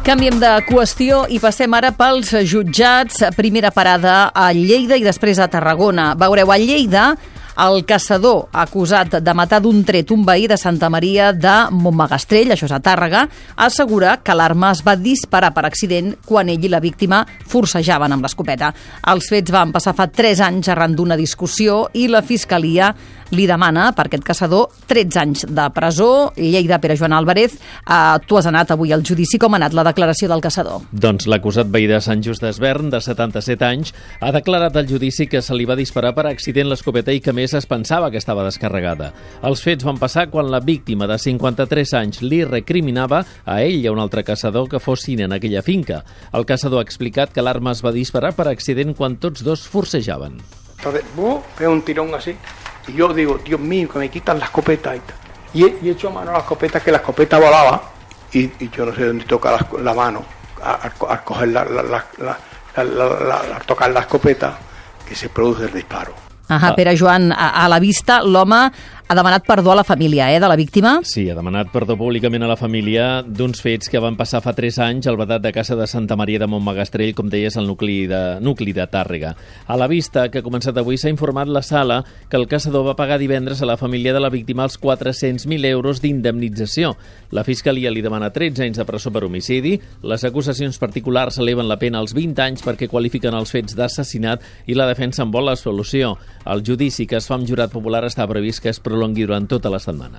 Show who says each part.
Speaker 1: Canviem de qüestió i passem ara pels jutjats. Primera parada a Lleida i després a Tarragona. Veureu, a Lleida, el caçador acusat de matar d'un tret un veí de Santa Maria de Montmagastrell, això és a Tàrrega, assegura que l'arma es va disparar per accident quan ell i la víctima forcejaven amb l'escopeta. Els fets van passar fa 3 anys arran d'una discussió i la Fiscalia li demana per aquest caçador 13 anys de presó. Lleida, Pere Joan Álvarez, tu has anat avui al judici. Com ha anat la declaració del caçador?
Speaker 2: Doncs l'acusat veí de Sant Just d'Esvern, de 77 anys, ha declarat al judici que se li va disparar per accident l'escopeta i que més es pensava que estava descarregada. Els fets van passar quan la víctima de 53 anys li recriminava a ell i a un altre caçador que fossin en aquella finca. El caçador ha explicat que l'arma es va disparar per accident quan tots dos forcejaven.
Speaker 3: Entonces, pega un tirón así. Y yo digo, Dios mío, que me quitan la escopeta. Y echo mano a la escopeta, que la escopeta volaba. Y yo no sé dónde toca la mano al coger al tocar la escopeta, que se produce el disparo.
Speaker 1: Pere Joan, a la vista, l'home ha demanat perdó a la família de la víctima?
Speaker 2: Sí, ha demanat perdó públicament a la família d'uns fets que van passar fa 3 anys al vedat de casa de Santa Maria de Montmagastrell, com deies, al nucli de Tàrrega. A la vista, que ha començat avui, s'ha informat la sala que el caçador va pagar divendres a la família de la víctima els 400.000 euros d'indemnització. La Fiscalia li demana 13 anys de presó per homicidi. Les acusacions particulars eleven la pena als 20 anys perquè qualifiquen els fets d'assassinat i la defensa en vol la solució. El judici que es fa amb jurat popular està previst que es prolongui durant tota la setmana.